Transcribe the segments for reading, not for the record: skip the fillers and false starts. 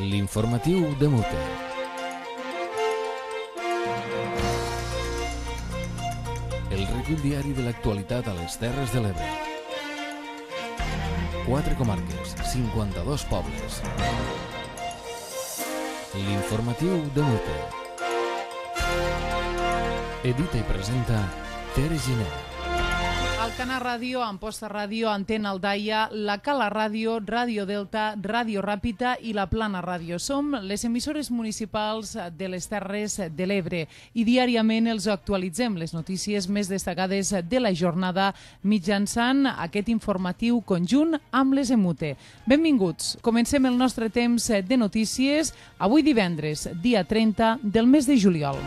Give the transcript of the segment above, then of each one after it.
L'informatiu de Mute. El recull diari de l'actualitat a les Terres de l'Ebre. 4 comarques, 52 pobles. L'informatiu de Mute. Edita i presenta Tere Giner. Alcana Ràdio, Amposta Ràdio, Antena Aldaia, La Cala Ràdio, Ràdio Delta, Ràdio Ràpita i La Plana Ràdio. Som les emissores municipals de les Terres de l'Ebre i diàriament els actualitzem les notícies més destacades de la jornada mitjançant aquest informatiu conjunt amb les Emute. Benvinguts. Comencem el nostre temps de notícies avui divendres, dia 30 del mes de juliol.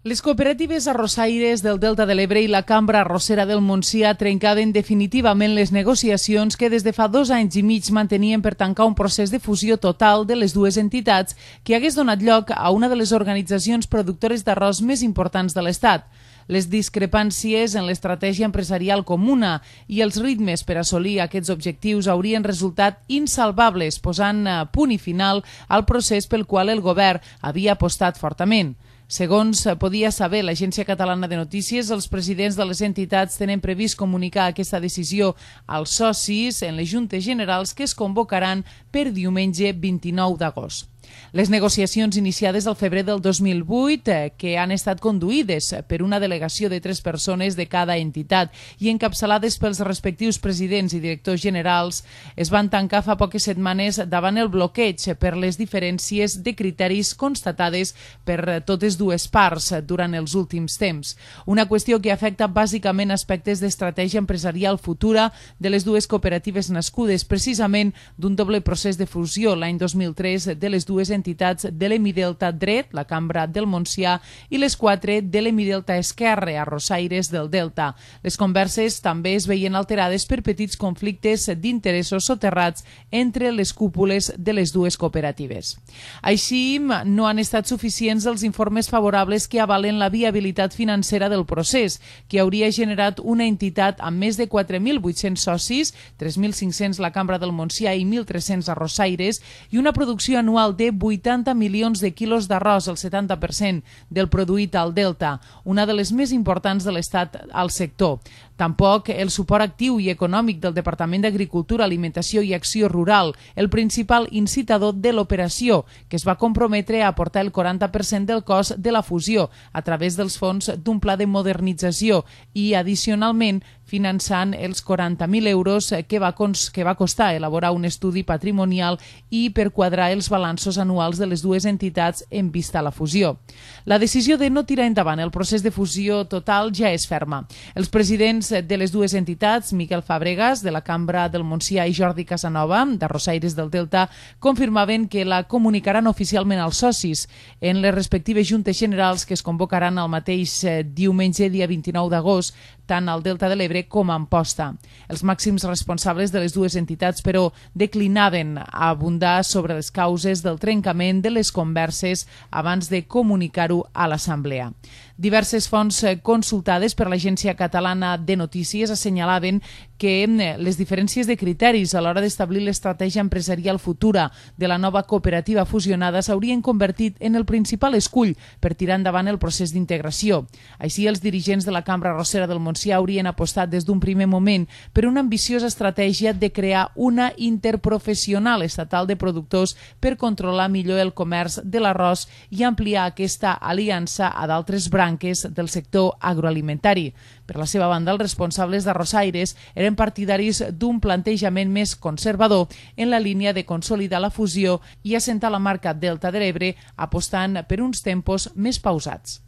Les cooperatives arrossaires del Delta de l'Ebre i la Cambra Arrossera del Montsià trencaven definitivament les negociacions que des de fa 2 anys i mig mantenien per tancar un procés de fusió total de les dues entitats que hagués donat lloc a una de les organitzacions productores d'arròs més importants de l'Estat. Les discrepàncies en l'estratègia empresarial comuna i els ritmes per assolir aquests objectius haurien resultat insalvables, posant punt i final al procés pel qual el govern havia apostat fortament. Segons podia saber l'Agència Catalana de Notícies, els presidents de les entitats tenen previst comunicar aquesta decisió als socis en les Juntes Generals que es convocaran per diumenge 29 d'agost. Les negociacions iniciades al febrer del 2008, que han estat conduïdes per una delegació de 3 persones de cada entitat i encapçalades pels respectius presidents i directors generals, es van tancar fa poques setmanes davant el bloqueig per les diferències de criteris constatades per totes dues parts durant els últims temps. Una qüestió que afecta bàsicament aspectes d'estratègia empresarial futura de les dues cooperatives nascudes precisament d'un doble procés de fusió l'any 2003 de les dues entitats de l'Hemidelta dret, la Cambra del Montsià, i les 4 de l'Hemidelta esquerre, arrossaires del Delta. Les converses també es veien alterades per petits conflictes d'interessos soterrats entre les cúpules de les dues cooperatives. Així, no han estat suficients els informes favorables que avalen la viabilitat financera del procés, que hauria generat una entitat amb més de 4.800 socis, 3.500 la Cambra del Montsià i 1.300 arrossaires, i una producció anual de 80 milions de quilos d'arròs, el 70% del produït al Delta, una de les més importants de l'Estat al sector. Tampoc el suport actiu i econòmic del Departament d'Agricultura, Alimentació i Acció Rural, el principal incitador de l'operació, que es va comprometre a aportar el 40% del cost de la fusió a través dels fons d'un pla de modernització i, addicionalment, finançant els 40.000 euros que va costar elaborar un estudi patrimonial i per quadrar els balanços anuals de les dues entitats en vista a la fusió. La decisió de no tirar endavant el procés de fusió total ja és ferma. Els presidents de les dues entitats, Miquel Fàbregas, de la Cambra del Montsià, i Jordi Casanova, d'Arrossaires del Delta, confirmaven que la comunicaran oficialment als socis en les respectives juntes generals que es convocaran el mateix diumenge, dia 29 d'agost, tant al Delta de l'Ebre com a Amposta. Els màxims responsables de les dues entitats, però, declinaven a abundar sobre les causes del trencament de les converses abans de comunicar-ho a l'Assemblea. Diverses fonts consultades per l'Agència Catalana de Notícies assenyalaven que les diferències de criteris a l'hora d'establir l'estratègia empresarial futura de la nova cooperativa fusionada s'haurien convertit en el principal escull per tirar endavant el procés d'integració. Així, els dirigents de la Cambra Arrossera del Montsià haurien apostat des d'un primer moment per una ambiciosa estratègia de crear una interprofessional estatal de productors per controlar millor el comerç de l'arròs i ampliar aquesta aliança a d'altres branques del sector agroalimentari. Per la seva banda, els responsables d'Arrossaires eren partidaris d'un plantejament més conservador en la línia de consolidar la fusió i assentar la marca Delta de l'Ebre, apostant per uns tempos més pausats.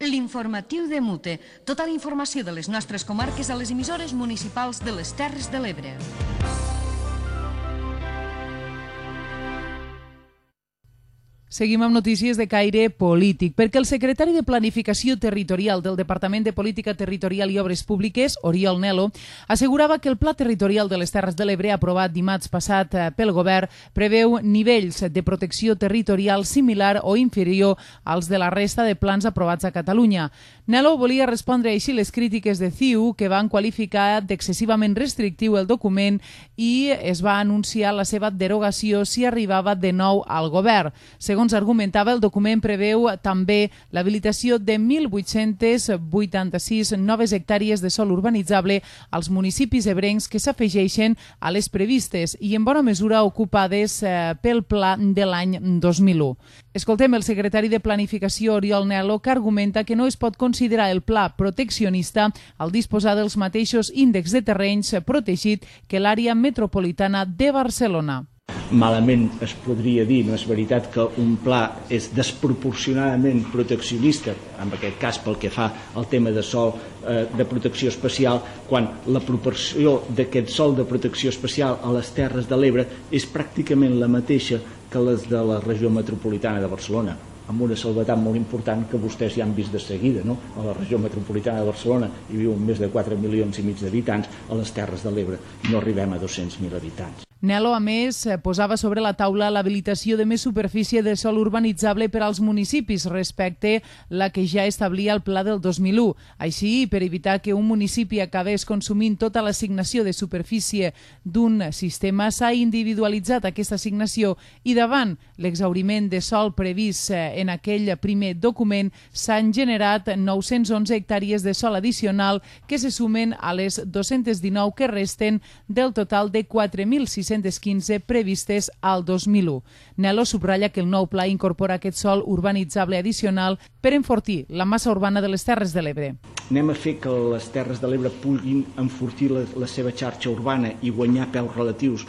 L'informatiu de Mute. Tota la informació de les nostres comarques a les emissores municipals de les Terres de l'Ebre. Seguim amb notícies de caire polític, perquè el secretari de Planificació Territorial del Departament de Política Territorial i Obres Públiques, Oriol Nel·lo, assegurava que el Pla Territorial de les Terres de l'Ebre, aprovat dimarts passat pel govern, preveu nivells de protecció territorial similar o inferior als de la resta de plans aprovats a Catalunya. Nel·lo volia respondre així les crítiques de CiU, que van qualificar d'excessivament restrictiu el document i es va anunciar la seva derogació si arribava de nou al govern. Segons argumentava, el document preveu també l'habilitació de 1.886 noves hectàrees de sòl urbanitzable als municipis ebrencs que s'afegeixen a les previstes i en bona mesura ocupades pel pla de l'any 2001. Escoltem el secretari de Planificació, Oriol Nel·lo, que argumenta que no es pot considerar el pla proteccionista al disposar dels mateixos índexs de terrenys protegit que l'àrea metropolitana de Barcelona. Malament es podria dir, no és veritat, que un pla és desproporcionadament proteccionista, en aquest cas pel que fa al tema de sòl de protecció especial, quan la proporció d'aquest sòl de protecció especial a les Terres de l'Ebre és pràcticament la mateixa que les de la regió metropolitana de Barcelona, amb una salvetat molt important que vostès ja han vist de seguida, no? A la regió metropolitana de Barcelona hi viuen més de 4,5 milions d'habitants, a les Terres de l'Ebre no arribem a 200.000 habitants. Nel·lo, a més, posava sobre la taula l'habilitació de més superfície de sòl urbanitzable per als municipis respecte la que ja establia el pla del 2001. Així, per evitar que un municipi acabés consumint tota l'assignació de superfície d'un sistema, s'ha individualitzat aquesta assignació i davant l'exhauriment de sòl previst en aquell primer document s'han generat 911 hectàrees de sòl addicional que se sumen a les 219 que resten del total de 4.615 previstes al 2001. Nel·lo subratlla que el nou pla incorpora aquest sòl urbanitzable addicional per enfortir la massa urbana de les Terres de l'Ebre. Anem a fer que les Terres de l'Ebre puguin enfortir la seva xarxa urbana i guanyar pes relatius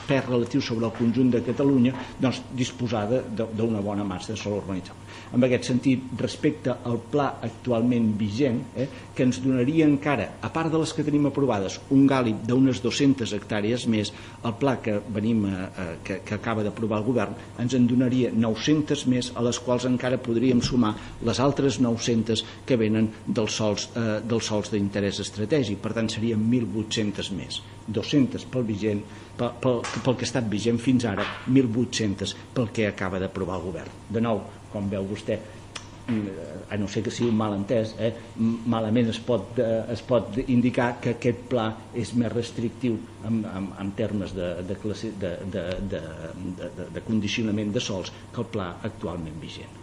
sobre el conjunt de Catalunya, doncs disposar d'una bona massa de sòl urbanitzable. En aquest sentit, respecte al pla actualment vigent, que ens donaria encara, a part de les que tenim aprovades, un gàlib d'unes 200 hectàrees més, el pla que acaba d'aprovar el govern ens en donaria 900 més, a les quals encara podríem sumar les altres 900 que venen dels sòls d'interès estratègic. Per tant, serien 1.800 més. 200 pel vigent, pel que ha estat vigent fins ara, 1.800 pel que acaba d'aprovar el govern. De nou, com veu vostè, a no ser que sigui un malentès, malament es pot indicar que aquest pla és més restrictiu en termes de condicionament de sòls que el pla actualment vigent.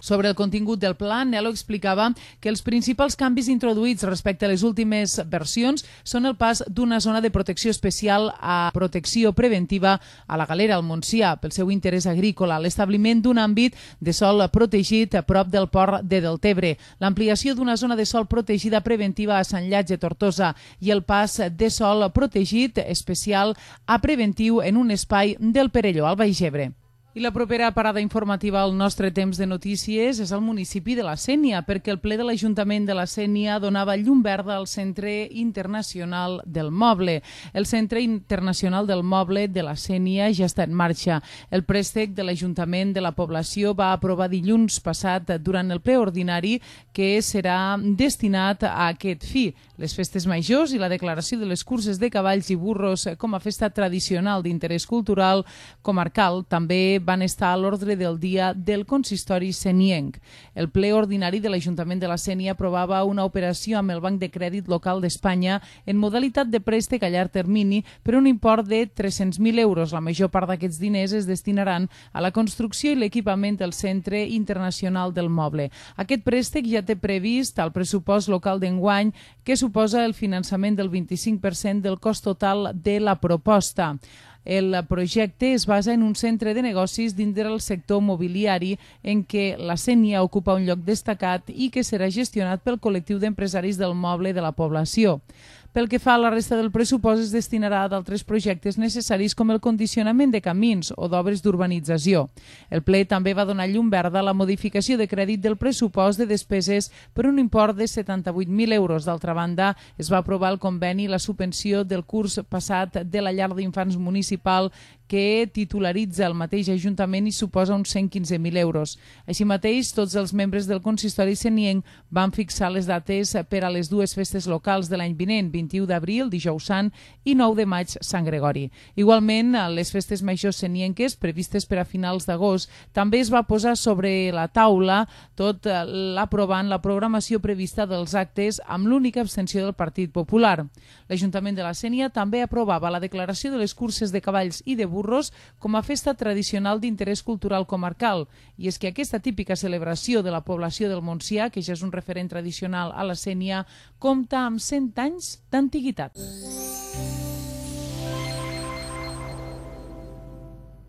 Sobre el contingut del pla, Nel·lo explicava que els principals canvis introduïts respecte a les últimes versions són el pas d'una zona de protecció especial a protecció preventiva a la Galera, al Montsià, pel seu interès agrícola, l'establiment d'un àmbit de sòl protegit a prop del port de Deltebre, l'ampliació d'una zona de sòl protegida preventiva a Sant Llàtzer, Tortosa i el pas de sòl protegit especial a preventiu en un espai del Perelló, al Baix Ebre. I la propera parada informativa al nostre temps de notícies és al municipi de la Sénia, perquè el ple de l'Ajuntament de la Sénia donava llum verda al Centre Internacional del Moble. El Centre Internacional del Moble de la Sénia ja està en marxa. El préstec de l'Ajuntament de la població va aprovar dilluns passat durant el ple ordinari que serà destinat a aquest fi. Les festes majors i la declaració de les curses de cavalls i burros com a festa tradicional d'interès cultural comarcal també van estar a l'ordre del dia del consistori senienc. El ple ordinari de l'Ajuntament de la Sénia aprovava una operació amb el Banc de Crèdit Local d'Espanya en modalitat de préstec a llarg termini per un import de 300.000 euros. La major part d'aquests diners es destinaran a la construcció i l'equipament del Centre Internacional del Moble. Aquest préstec ja té previst al pressupost local d'enguany que suposa el finançament del 25% del cost total de la proposta. El projecte es basa en un centre de negocis dintre del sector mobiliari en què la Sénia ocupa un lloc destacat i que serà gestionat pel col·lectiu d'empresaris del moble de la població. Pel que fa a la resta del pressupost es destinarà a d'altres projectes necessaris com el condicionament de camins o d'obres d'urbanització. El ple també va donar llum verda a la modificació de crèdit del pressupost de despeses per un import de 78.000 euros. D'altra banda, es va aprovar el conveni i la subvenció del curs passat de la llar d'infants municipal que titularitza el mateix Ajuntament i suposa uns 115.000 euros. Així mateix, tots els membres del consistori senienc van fixar les dates per a les dues festes locals de l'any vinent, 21 d'abril, dijous sant, i 9 de maig, Sant Gregori. Igualment, les festes majors senienques, previstes per a finals d'agost, també es va posar sobre la taula, tot aprovant la programació prevista dels actes amb l'única abstenció del Partit Popular. L'Ajuntament de la Sénia també aprovava la declaració de les curses de cavalls i de burros com a festa tradicional d'interès cultural comarcal. I és que aquesta típica celebració de la població del Montsià, que ja és un referent tradicional a la Sénia, compta amb 100 anys d'antiguitat.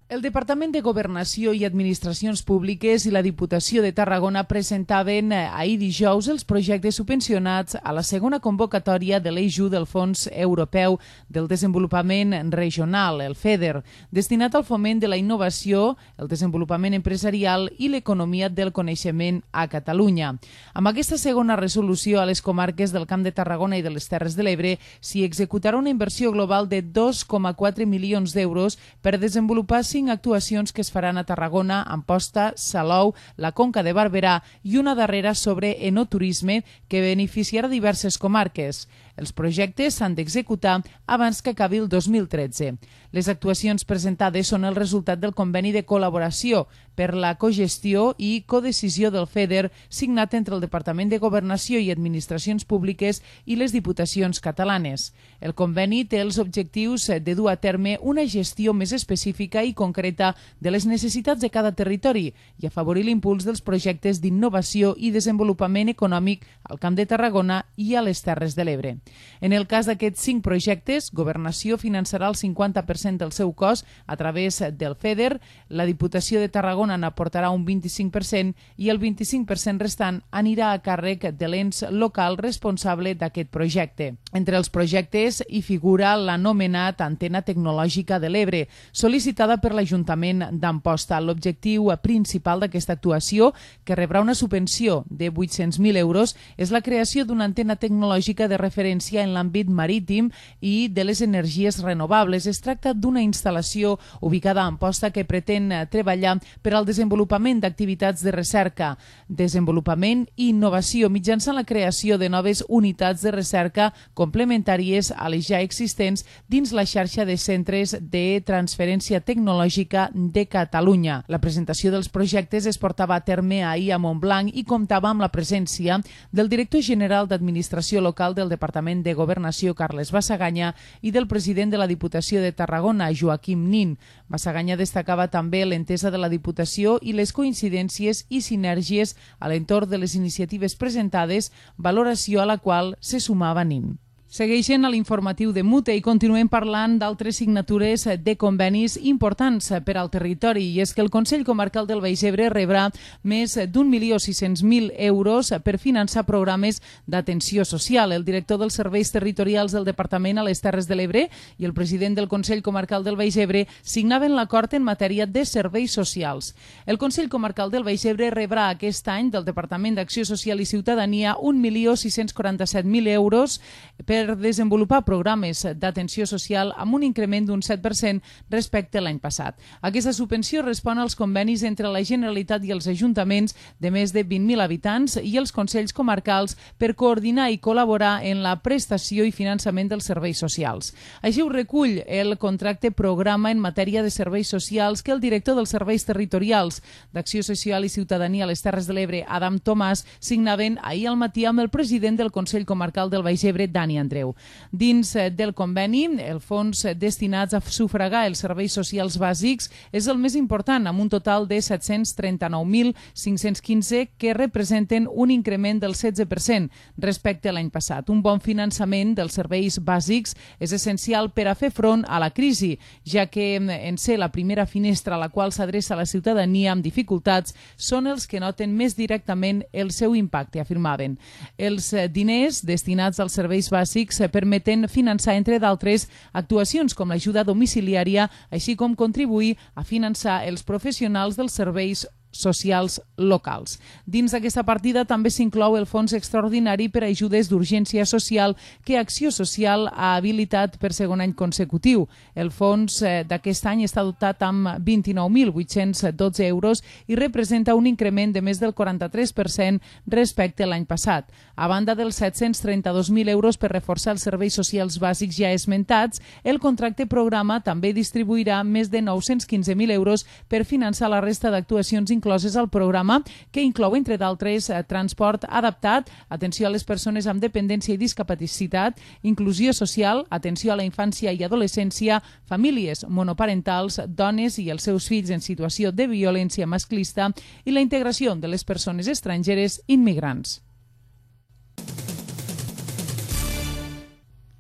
El Departament de Governació i Administracions Públiques i la Diputació de Tarragona presentaven ahir dijous els projectes subvencionats a la segona convocatòria de l'EIJU del Fons Europeu del Desenvolupament Regional, el FEDER, destinat al foment de la innovació, el desenvolupament empresarial i l'economia del coneixement a Catalunya. Amb aquesta segona resolució a les comarques del Camp de Tarragona i de les Terres de l'Ebre s'hi executarà una inversió global de 2,4 milions d'euros per desenvolupar 5 actuacions que es faran a Tarragona, Amposta, Salou, la Conca de Barberà i una darrera sobre enoturisme que beneficiarà diverses comarques. Els projectes s'han d'executar abans que acabi el 2013. Les actuacions presentades són el resultat del conveni de col·laboració per la cogestió i codecisió del FEDER signat entre el Departament de Governació i Administracions Públiques i les Diputacions catalanes. El conveni té els objectius de dur a terme una gestió més específica i concreta de les necessitats de cada territori i afavorir l'impuls dels projectes d'innovació i desenvolupament econòmic al Camp de Tarragona i a les Terres de l'Ebre. En el cas d'aquests 5 projectes, Governació finançarà el 50% del seu cost a través del FEDER, la Diputació de Tarragona n'aportarà un 25% i el 25% restant anirà a càrrec de l'ens local responsable d'aquest projecte. Entre els projectes hi figura l'anomenat Antena Tecnològica de l'Ebre, sol·licitada per l'Ajuntament d'Amposta. L'objectiu principal d'aquesta actuació, que rebrà una subvenció de 800.000 euros, és la creació d'una antena tecnològica de referència en l'àmbit marítim i de les energies renovables. Es tracta d'una instal·lació ubicada a Amposta que pretén treballar per al desenvolupament d'activitats de recerca, desenvolupament i innovació mitjançant la creació de noves unitats de recerca complementàries a les ja existents dins la xarxa de centres de transferència tecnològica de Catalunya. La presentació dels projectes es portava a terme ahir a Montblanc i comptava amb la presència del director general d'Administració Local del Departament de Governació, Carles Bassaganya, i del president de la Diputació de Tarragona, Joaquim Nin. Bassaganya destacava també l'entesa de la Diputació i les coincidències i sinergies a l'entorn de les iniciatives presentades, valoració a la qual se sumava Nin. Segueixen a l'informatiu de Mute i continuem parlant d'altres signatures de convenis importants per al territori, i és que el Consell Comarcal del Baix Ebre rebrà més d'1.600.000 euros per finançar programes d'atenció social. El director dels serveis territorials del Departament a les Terres de l'Ebre i el president del Consell Comarcal del Baix Ebre signaven l'acord en matèria de serveis socials. El Consell Comarcal del Baix Ebre rebrà aquest any del Departament d'Acció Social i Ciutadania 1.647.000 euros per desenvolupar programes d'atenció social amb un increment d'un 7% respecte a l'any passat. Aquesta subvenció respon als convenis entre la Generalitat i els ajuntaments de més de 20.000 habitants i els consells comarcals per coordinar i col·laborar en la prestació i finançament dels serveis socials. Així ho recull el contracte programa en matèria de serveis socials que el director dels serveis territorials d'Acció Social i Ciutadania a les Terres de l'Ebre, Adam Tomàs, signaven ahir al matí amb el president del Consell Comarcal del Baix Ebre, Dani Andreu. Dins del conveni, el fons destinats a sufragar els serveis socials bàsics és el més important, amb un total de 739.515 que representen un increment del 16% respecte a l'any passat. Un bon finançament dels serveis bàsics és essencial per a fer front a la crisi, ja que en ser la primera finestra a la qual s'adreça la ciutadania amb dificultats són els que noten més directament el seu impacte, afirmaven. Els diners destinats als serveis bàsics permeten finançar, entre d'altres, actuacions com l'ajuda domiciliària, així com contribuir a finançar els professionals dels serveis socials locals. Dins d'aquesta partida també s'inclou el fons extraordinari per a ajudes d'urgència social que Acció Social ha habilitat per segon any consecutiu. El fons d'aquest any està dotat amb 29.812 euros i representa un increment de més del 43% respecte a l'any passat. A banda dels 732.000 euros per reforçar els serveis socials bàsics ja esmentats, el contracte programa també distribuirà més de 915.000 euros per finançar la resta d'actuacions incloses al programa, que inclou, entre d'altres, transport adaptat, atenció a les persones amb dependència i discapacitat, inclusió social, atenció a la infància i adolescència, famílies monoparentals, dones i els seus fills en situació de violència masclista i la integració de les persones estrangeres immigrants.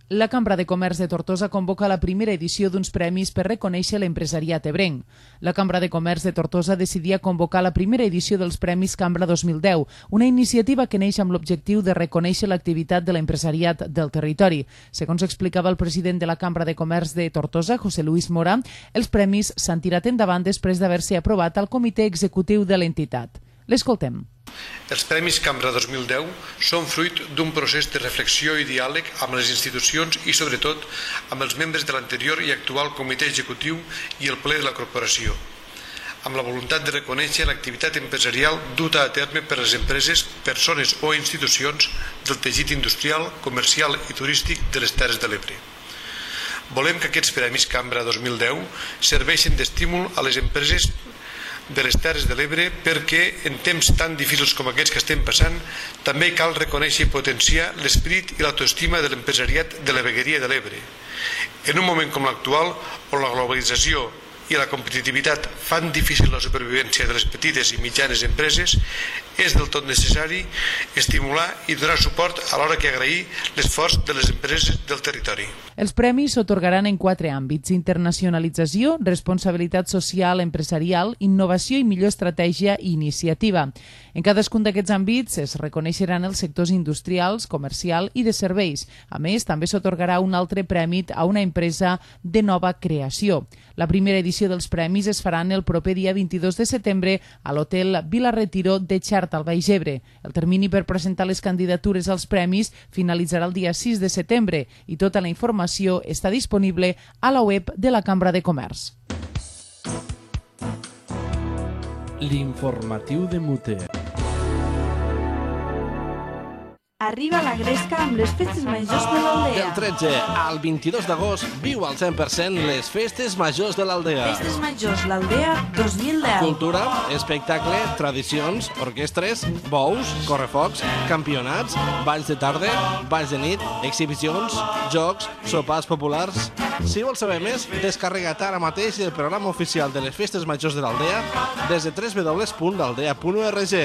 La Cambra de Comerç de Tortosa convoca la primera edició d'uns premis per reconèixer l'empresariat ebrenc. La Cambra de Comerç de Tortosa decidia convocar la primera edició dels Premis Cambra 2010, una iniciativa que neix amb l'objectiu de reconèixer l'activitat de l'empresariat del territori. Segons explicava el president de la Cambra de Comerç de Tortosa, José Luis Mora, els premis s'han tirat endavant després d'haver-se aprovat al comitè executiu de l'entitat. L'escoltem. Els Premis Cambra 2010 són fruit d'un procés de reflexió i diàleg amb les institucions i, sobretot, amb els membres de l'anterior i actual comitè executiu i el ple de la corporació, amb la voluntat de reconèixer l'activitat empresarial duta a terme per les empreses, persones o institucions del teixit industrial, comercial i turístic de les Terres de l'Ebre. Volem que aquests Premis Cambra 2010 serveixin d'estímul a les empreses de les Terres de l'Ebre perquè en temps tan difícils com aquests que estem passant també cal reconèixer i potenciar l'esperit i l'autoestima de l'empresariat de la vegueria de l'Ebre. En un moment com l'actual, on la globalització i la competitivitat fan difícil la supervivència de les petites i mitjanes empreses, és del tot necessari estimular i donar suport alhora que agrair l'esforç de les empreses del territori. Els premis s'atorgaran en 4 àmbits: internacionalització, responsabilitat social empresarial, innovació i millor estratègia i iniciativa. En cadascun d'aquests àmbits es reconeixeran els sectors industrials, comercial i de serveis. A més, també s'atorgarà un altre premi a una empresa de nova creació. La primera edició dels premis es faran el proper dia 22 de setembre a l'hotel Vila Retiro de Xart, al Baix Ebre. El termini per presentar les candidatures als premis finalitzarà el dia 6 de setembre i tota la informació està disponible a la web de la Cambra de Comerç. L'informatiu de Mute. Arriba la Gresca amb les festes majors de l'Aldea. Del 13 al 22 d'agost viu al 100% les festes majors de l'Aldea. Festes majors l'Aldea 2010. Cultura, espectacle, tradicions, orquestres, bous, correfocs, campionats, balls de tarda, balls de nit, exhibicions, jocs, sopars populars. Si vols saber més, descarrega't ara mateix el programa oficial de les festes majors de l'Aldea des de www.aldea.org.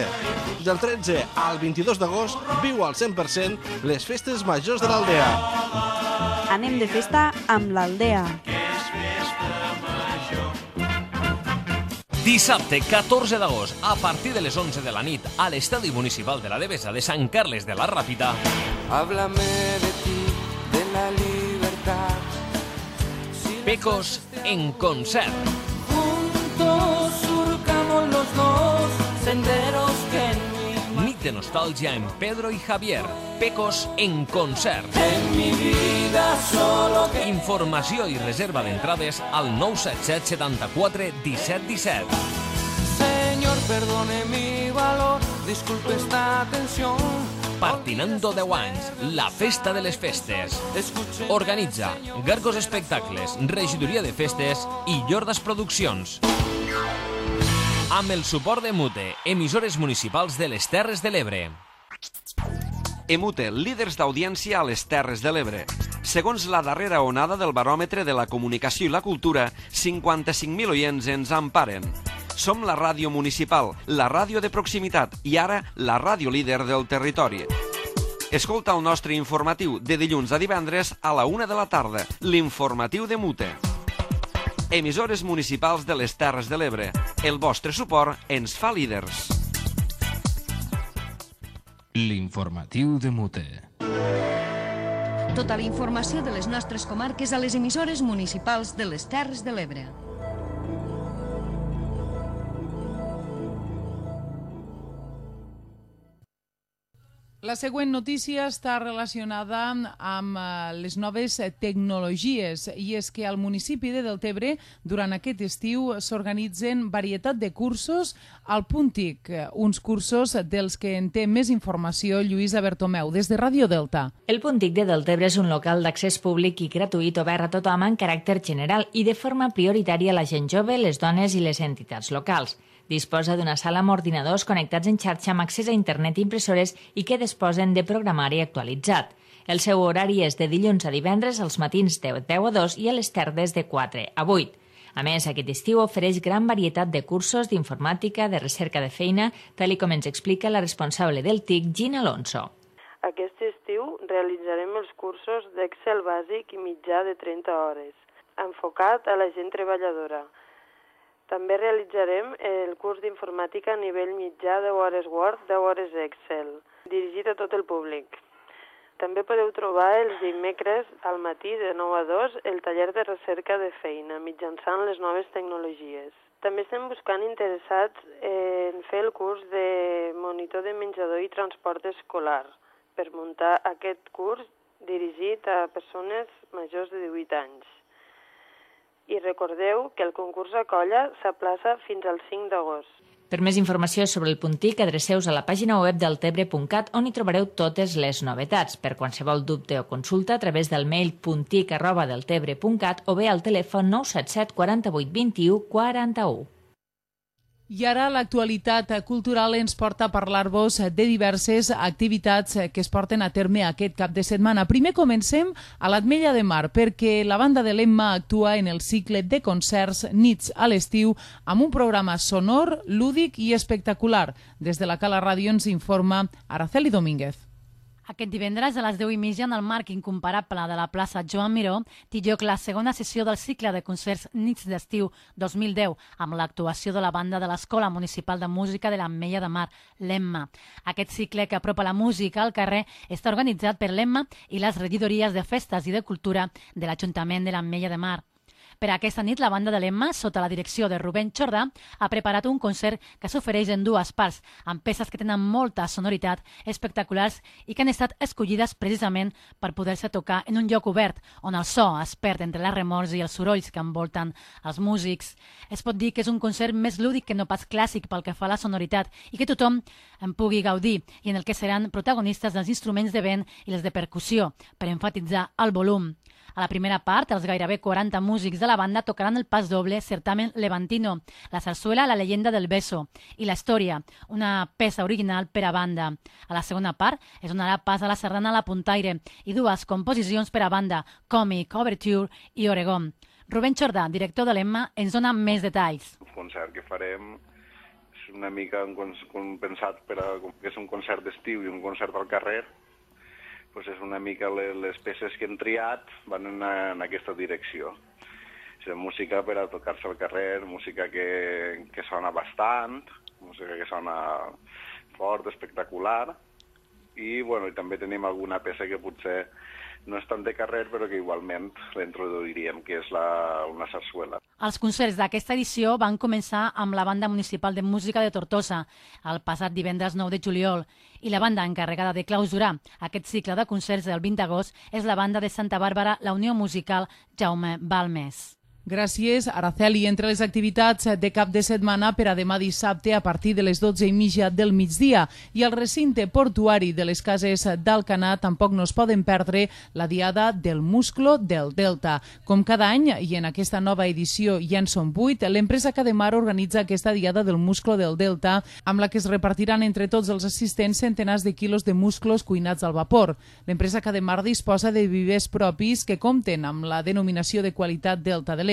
Del 13 al 22 d'agost viu al 100% les festes majors de l'Aldea. Anem de festa amb l'Aldea. Dissabte 14 d'agost, a partir de les 11 de la nit, a l'Estadi Municipal de la Devesa de Sant Carles de la Ràpita. Háblame de ti, de la libertad. Pecos en concert. Juntos surcamos los dos senderos que Nit de nostàlgia en Pedro y Javier. Pecos en concert. en mi vida solo que... Informació i reserva d'entrades al 977 74 17 17. Señor, perdone mi valor, disculpe esta tensión. Partinando 10 anys, la festa de les festes. Organitza Gargos Espectacles, Regidoria de Festes i Llordas Produccions. Amb el suport de Mute, emissores municipals de les Terres de l'Ebre. Emute, líders d'audiència a les Terres de l'Ebre. Segons la darrera onada del baròmetre de la comunicació i la cultura, 55.000 oients ens emparen. Som la ràdio municipal, la ràdio de proximitat i ara la ràdio líder del territori. Escolta el nostre informatiu de dilluns a divendres a la 1 de la tarda, l'informatiu de Mute. Emissores municipals de les Terres de l'Ebre. El vostre suport ens fa líders. L'informatiu de Mute. Tota la informació de les nostres comarques a les emissores municipals de les Terres de l'Ebre. La següent notícia està relacionada amb les noves tecnologies i és que al municipi de Deltebre durant aquest estiu s'organitzen varietat de cursos al Punt TIC, uns cursos dels que en té més informació Lluïsa Bertomeu des de Ràdio Delta. El Punt TIC de Deltebre és un local d'accés públic i gratuït obert a tothom en caràcter general i de forma prioritària a la gent jove, les dones i les entitats locals. Disposa d'una sala amb ordinadors connectats en xarxa amb accés a internet i impressores i que disposen de programari actualitzat. El seu horari és de dilluns a divendres als matins de 10 a 2 i a les tardes de 4 a 8. A més, aquest estiu ofereix gran varietat de cursos d'informàtica, de recerca de feina, tal com ens explica la responsable del TIC, Gina Alonso. Aquest estiu realitzarem els cursos d'Excel bàsic i mitjà de 30 hores, enfocat a la gent treballadora. També realitzarem el curs d'informàtica a nivell mitjà, 10 hores Word, 10 hores Excel, dirigit a tot el públic. També podeu trobar els dimecres al matí de 9 a 2 el taller de recerca de feina mitjançant les noves tecnologies. També estem buscant interessats en fer el curs de monitor de menjador i transport escolar per muntar aquest curs dirigit a persones majors de 18 anys. I recordeu que el concurs a colla s'aplaça fins al 5 d'agost. Per més informació sobre el Punt TIC, adreceu-vos a la pàgina web deltebre.cat on hi trobareu totes les novetats. Per qualsevol dubte o consulta, a través del mail puntic@deltebre.cat o bé al telèfon 977 48 21 41. I ara l'actualitat cultural ens porta a parlar-vos de diverses activitats que es porten a terme aquest cap de setmana. Primer comencem a l'Ametlla de Mar, perquè la banda de l'Emma actua en el cicle de concerts Nits a l'estiu amb un programa sonor, lúdic i espectacular. Des de la Cala Ràdio ens informa Araceli Domínguez. Aquest divendres a les 10:30 en el marc incomparable de la plaça Joan Miró té lloc la segona sessió del cicle de concerts Nits d'estiu 2010 amb l'actuació de la banda de l'Escola Municipal de Música de l'Ametlla de Mar, l'Emma. Aquest cicle que apropa la música al carrer està organitzat per l'Emma i les regidories de festes i de cultura de l'Ajuntament de l'Ametlla de Mar. Per aquesta nit, la banda de l'Emma, sota la direcció de Rubén Jordà, ha preparat un concert que s'ofereix en dues parts, amb peces que tenen molta sonoritat, espectaculars i que han estat escollides precisament per poder-se tocar en un lloc obert, on el so es perd entre les remors i els sorolls que envolten els músics. Es pot dir que és un concert més lúdic que no pas clàssic pel que fa a la sonoritat i que tothom en pugui gaudir i en el que seran protagonistes dels instruments de vent i les de percussió, per enfatitzar el volum. A la primera part, els gairebé 40 músics de la banda tocaran el pas doble Certamen Levantino, la sarsuela La leyenda del beso i la història, una peça original per a banda. A la segona part es donarà pas a la sardana La Puntaire i dues composicions per a banda, Còmic, Overture i Oregon. Rubén Jordà, director de l'Emma, ens dona més detalls. El concert que farem és una mica pensat que és un concert d'estiu i un concert al carrer. Pues és una mica les peces que hem triat van en aquesta direcció. És música per a tocar-se al carrer, música que sona bastant, música que sona fort, espectacular, i també tenim alguna peça que potser no és tant de carrer, però que igualment l'introduiríem, que és una sarsuela. Els concerts d'aquesta edició van començar amb la Banda Municipal de Música de Tortosa, el passat divendres 9 de juliol, i la banda encarregada de clausurar aquest cicle de concerts del 20 d'agost és la banda de Santa Bàrbara, la Unió Musical Jaume Balmes. Gràcies, Araceli. Entre les activitats de cap de setmana per a demà dissabte a partir de les 12:30 del migdia i al recinte portuari de les Cases d'Alcanar tampoc no es poden perdre la Diada del Musclo del Delta. Com cada any, i en aquesta nova edició ja en són 8, l'empresa Cademar organitza aquesta Diada del Musclo del Delta amb la que es repartiran entre tots els assistents centenars de quilos de musclos cuinats al vapor. L'empresa Cademar disposa de vivers propis que compten amb la denominació de qualitat Delta de l'Ebre.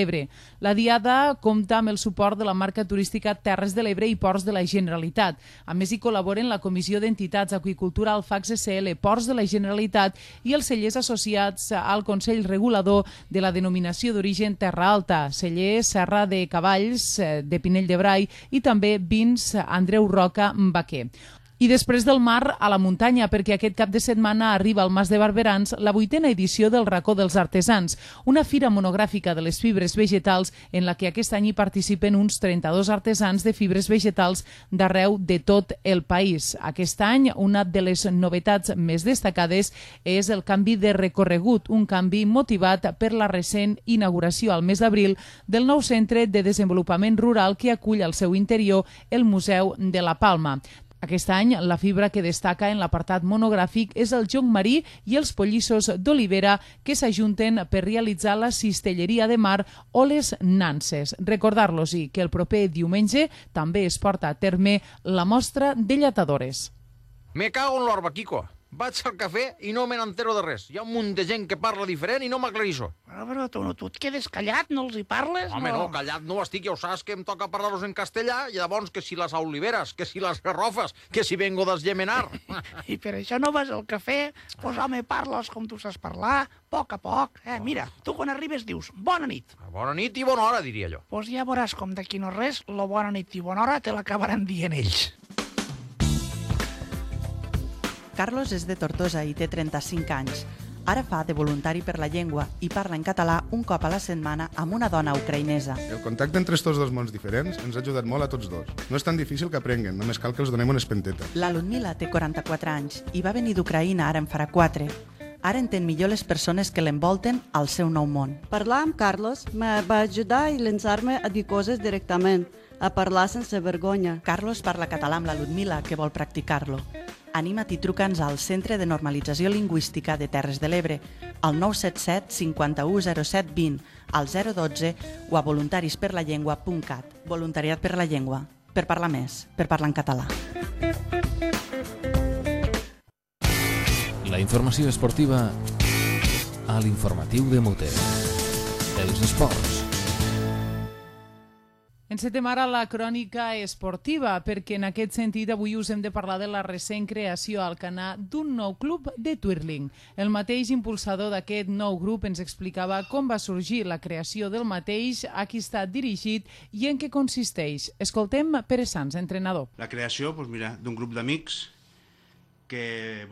La Diada compta amb el suport de la marca turística Terres de l'Ebre i Ports de la Generalitat. A més, hi col·laboren la Comissió d'Entitats Aqüicultura Alfax SL, Ports de la Generalitat i els cellers associats al Consell Regulador de la denominació d'origen Terra Alta, celler Serra de Cavalls de Pinell de Brai i també vins Andreu Roca Baquer. I després del mar a la muntanya, perquè aquest cap de setmana arriba al Mas de Barberans la 8a edició del Racó dels Artesans, una fira monogràfica de les fibres vegetals en la que aquest any hi participen uns 32 artesans de fibres vegetals d'arreu de tot el país. Aquest any, una de les novetats més destacades és el canvi de recorregut, un canvi motivat per la recent inauguració al mes d'abril del nou centre de desenvolupament rural que acull al seu interior el Museu de la Palma. Aquest any, la fibra que destaca en l'apartat monogràfic és el jonc marí i els pollissos d'olivera que s'ajunten per realitzar la cistelleria de mar o les nanses. Recordar-los que el proper diumenge també es porta a terme la mostra de lletadores. Me cago en l'orba, Quico. Vaig al cafè i no me n'entero de res. Hi ha un munt de gent que parla diferent i no m'aclarisso. Però tu et quedes callat, no els hi parles? Home, no, callat no estic, ja ho saps que em toca parlar-los en castellà i llavors que si les oliveres, que si les garrofes, que si vengo d'esgemenar. I per això no vas al cafè? Pues home, parles com tu saps parlar, a poc. Mira, tu quan arribes dius bona nit. Bona nit i bona hora, diria jo. Pues ja veuràs com d'aquí no res, la bona nit i bona hora te l'acabaran dient ells. Carlos és de Tortosa i té 35 anys. Ara fa de voluntari per la llengua i parla en català un cop a la setmana amb una dona ucraïnesa. El contacte entre estos dos mons diferents ens ha ajudat molt a tots dos. No és tan difícil que aprenguen, només cal que els donem una espenteta. La Ludmila té 44 anys i va venir d'Ucraïna ara en farà 4. Ara entén millor les persones que l'envolten al seu nou món. Parlar amb Carlos me va ajudar i llançar-me a dir coses directament, a parlar sense vergonya. Carlos parla català amb la Ludmila, que vol practicar-lo. Anima't i truca'ns al Centre de Normalització Lingüística de Terres de l'Ebre, al 977 51 07 20, al 012 o a voluntarisperlallengua.cat. Voluntariat per la llengua. Per parlar més, per parlar en català. La informació esportiva a l'informatiu de Mute. Els esports. Encetem ara la crònica esportiva, perquè en aquest sentit avui us hem de parlar de la recent creació al Canà d'un nou club de twirling. El mateix impulsador d'aquest nou grup ens explicava com va sorgir la creació del mateix, a qui està dirigit i en què consisteix. Escoltem Pere Sans, entrenador. La creació, d'un grup d'amics que,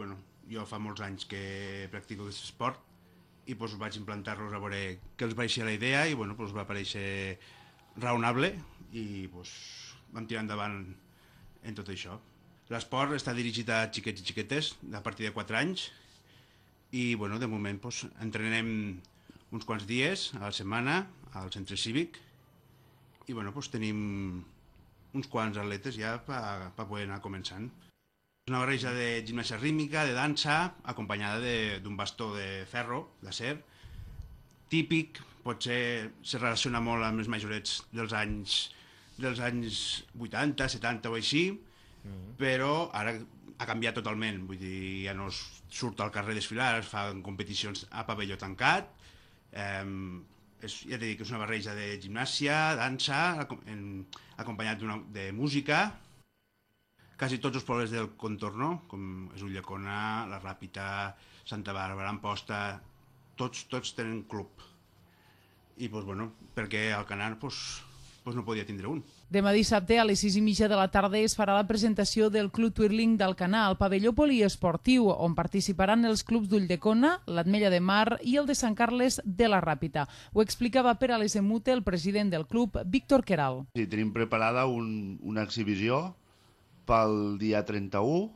jo fa molts anys que practico aquest esport i vaig implantar-los a veure què els va eixir la idea i va aparèixer raonable i vam tirar endavant en tot això. L'esport està dirigit a xiquets i xiquetes a partir de 4 anys i de moment entrenem uns quants dies a la setmana al centre cívic i tenim uns quants atletes ja per poder anar començant. És una barreja de gimnàstica rítmica, de dansa, acompanyada d'un bastó de ferro, d'acer, típic. Potser se relaciona molt amb els majorets dels anys 80, 70 o així, però ara ha canviat totalment. Vull dir, ja no es surt al carrer a desfilar, es fan competicions a pavelló tancat. Ja t'he dit que és una barreja de gimnàsia, dansa, acompanyat de música. Quasi tots els pobles del contorn, com és Ulldecona, la Ràpita, Santa Bàrbara, Amposta, tots tenen club. I, perquè al Canà no podia tindre un. Demà dissabte a les 6:30 de la tarda es farà la presentació del Club Twirling d'Alcanar al pavelló poliesportiu, on participaran els clubs d'Ulldecona, l'Ametlla de Mar i el de Sant Carles de la Ràpita. Ho explicava per a l'Esemute el president del club, Víctor Queral. Sí, tenim preparada una exhibició pel dia 31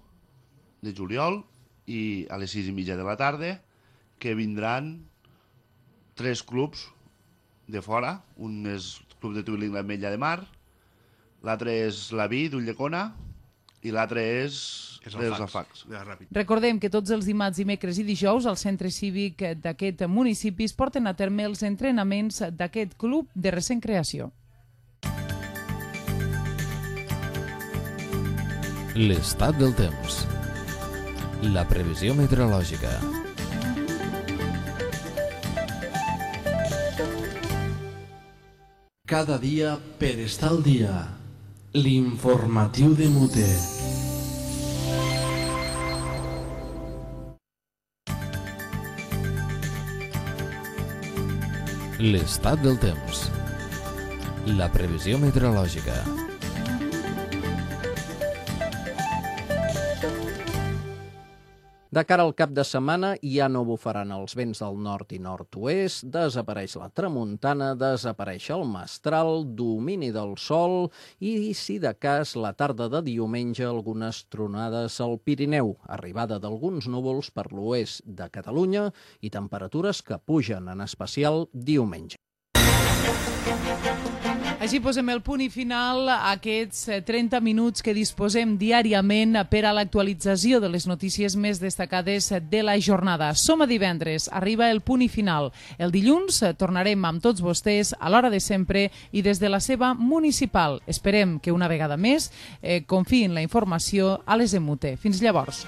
de juliol i a les 6:30 de la tarda que vindran 3 clubs de fora. Un és el Club de Twirling l'Ametlla de Mar, l'altre és la Vi d'Ulldecona i l'altre és els Alfacs. Recordem que tots els dimarts, dimecres i dijous al centre cívic d'aquest municipi es porten a terme els entrenaments d'aquest club de recent creació. L'estat del temps. La previsió meteorològica. Cada dia per estar al dia. L'informatiu de Mute. L'estat del temps. La previsió meteorològica. De cara al cap de setmana ja no bufaran els vents del nord i nord-oest, desapareix la tramuntana, desapareix el mestral, domini del sol i, si de cas, la tarda de diumenge algunes tronades al Pirineu, arribada d'alguns núvols per l'oest de Catalunya i temperatures que pugen, en especial diumenge. Així posem el punt i final a aquests 30 minuts que disposem diàriament per a l'actualització de les notícies més destacades de la jornada. Som a divendres, arriba el punt i final. El dilluns tornarem amb tots vostès a l'hora de sempre i des de la seva municipal. Esperem que una vegada més confiïn la informació a les EMUTE. Fins llavors.